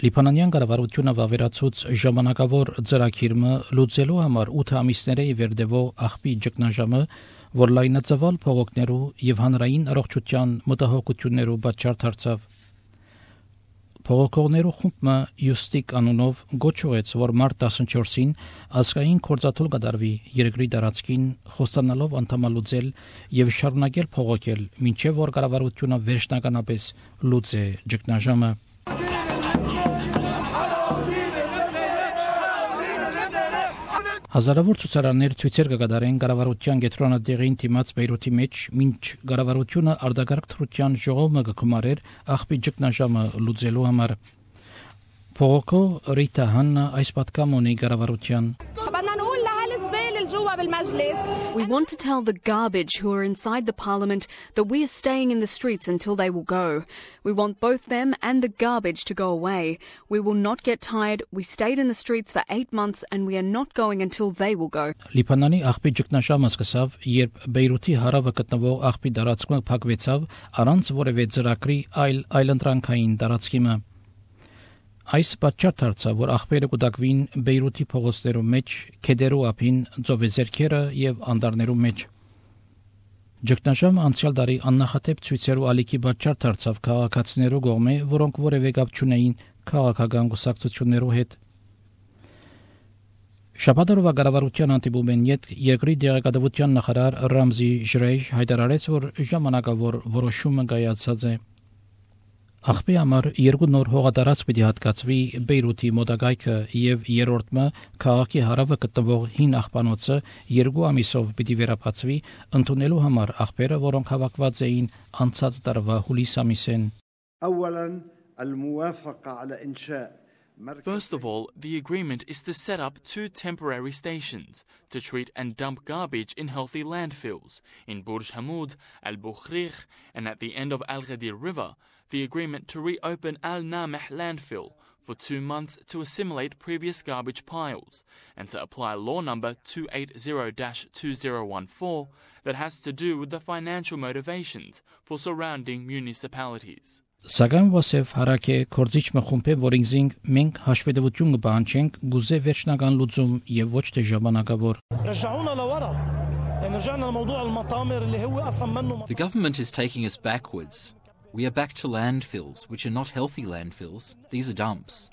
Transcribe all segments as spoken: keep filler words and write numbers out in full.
Լիբանանյան կառավարությունը վավերացուց ժամանակավոր ծրագիրը լուծելու համար ութ ամիսների վերդևող աղբի ճգնաժամը, որ լայնածավալ փողոքներու եւ հանրային առողջության մտահոգություններու պատճառ դարձավ։ Փողոքողներու խումբը Յուստիկ անունով գոչուեց, որ մարտ տասնչորսին ազգային կորձաթոլ կդարվի երկրի տարածքին, խոստանալով անդամալուծել եւ շարունակել փողոքել, մինչեւ որ կառավարությունը վերջնականապես լուծե ճգնաժամը։ Հազարավոր ցուցարարներ ցույցեր կկատարեն կառավարության կենտրոնադեղին դիմաց Բեյրութի մեջ, մինչ կառավարությունը արտագաղթ թրության ժողովը կկմարեր աղբի ճգնաժամը լուծելու համար։ Փողոքո Ռիտա Հաննա այս պատկամ ունի կառավարության։ We want to tell the garbage who are inside the parliament that we are staying in the streets until they will go. We want both them and the garbage to go away. We will not get tired. We stayed in the streets for eight months and we are not going until they will go. Լիբանանի աղբի ճգնաժամը սկսավ, երբ Բեյրութի հարավը գտնվող աղբի տարածքը փակվեցավ առանց որևէ ծրագրի այլ այլընտրանքային տարածքիմը։ Այս պատճառ դարձավ, որ աղբերը կուտակվին Բեյրութի փողոցներու մեջ, քեդերու ափին, ծովեզերքերը եւ անդարներու մեջ։ Ճգնաժամը անցյալ տարի աննախադեպ ցույցերու ալիքի պատճառ դարձավ քաղաքացիներու կողմէ, որոնք որևէ կապ չունեին քաղաքական կուսակցություններու հետ։ Շաբաթօրվա կառավարության հանդիպումեն յետ երկրի դեղեկատվության նախարար Ռամզի Ժրեյշ հայտարարեց, որ ժամանակավոր որոշումը կայացած է։ Աղբի համար երկու նոր հողատարածք պիտի հատկացվի Բեյրութի մոտակայքը եւ երրորդը քաղաքի հարավը գտնվող հին աղբանոցը երկու ամիսով պիտի վերապացվի ընդունելու համար աղբերը, որոնք հավաքված էին անցած տարվա հուլիս ամիսին։ First of all, the agreement is to set up two temporary stations to treat and dump garbage in healthy landfills in Burj Hamoud, Al-Bukhrikh, and at the end of Al-Ghadir River, the agreement to reopen Al-Nameh landfill for two months to assimilate previous garbage piles and to apply law number two eighty dash two thousand fourteen that has to do with the financial motivations for surrounding municipalities. Սակայն ոսև հարակե կորձիչ մխումբե որինգզինգ մենք հաշվետվություն կպահանջենք գուզե վերջնական լուծում եւ ոչ թե ժամանակավոր։ The government is taking us backwards. We are back to landfills, which are not healthy landfills. These are dumps.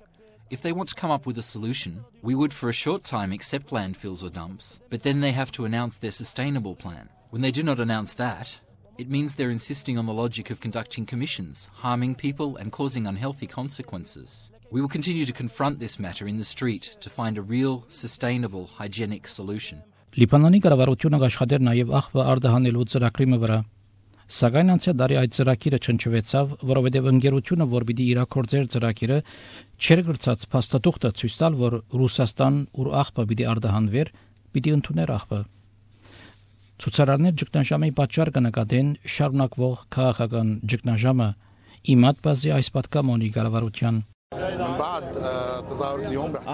If they want to come up with a solution, we would for a short time accept landfills or dumps, but then they have to announce their sustainable plan. When they do not announce that, it means they're insisting on the logic of conducting commissions, harming people and causing unhealthy consequences. We will continue to confront this matter in the street to find a real, sustainable, hygienic solution. Լիբանանի կառավարությունը աշխատեր նաև աղբը արտահանելու ծրագրի վրա։ Սակայն անցյալ տարի այդ ծրագիրը չնչվեցավ, որովհետև ընկերությունը, որ պիտի իրագործեր ծրագիրը, չէր գրծած փաստաթուղթը ցույց տալ, որ Ռուսաստան ուր աղբը պիտի արտահանվեր, պիտի ընդուներ աղբը։ Ցուցարարներ ճգնաժամի պատճառ կնկատեն շարունակվող քաղաքական ճգնաժամը։ Իմադ բազի այս պատկամ ունի կառավարության։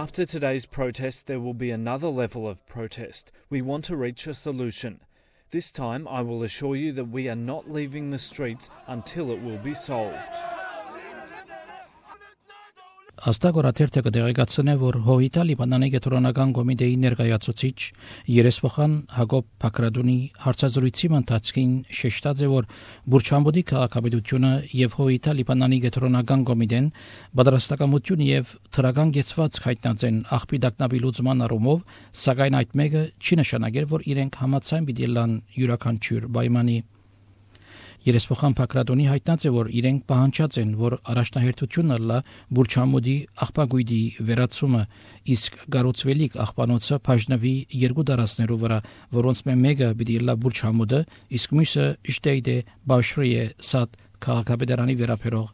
After today's protest, there will be another level of protest. We want to reach a solution. This time, I will assure you that we are not leaving the streets until it will be solved. Աստագորաթերթը կդեղեկացնե, որ Հովիտա Լիբանանի կենտրոնական կոմիտեի ներկայացուցիչ Երեսփոխան Հակոբ Փակրադունի հարցազրույցի ընթացքին շեշտած է, որ Բուրչամբուդի քաղաքապետությունը եւ Հովիտա Լիբանանի կենտրոնական կոմիտեն պատրաստակամություն եւ թրական գեցված հայտնած են աղբի դակնաբի լուծման առումով, սակայն այդ մեկը չի նշանակել, որ իրենք համաձայն պիտի լան յուրաքանչյուր պայմանի։ Երեսփոխան Փակրադոնի հայտնած է, որ իրենք պահանջած են, որ առաջնահերթությունը լա Բուրչամուդի աղբագույդի վերացումը, իսկ գառուցվելիք աղբանոցը բաժնվի երկու դարածներու վրա, որոնց մեկը պիտի լա Բուրչամուդը, իսկ մյուսը Ջդեյդե Բաշրիե Սադ քաղաքապետարանի վերապերող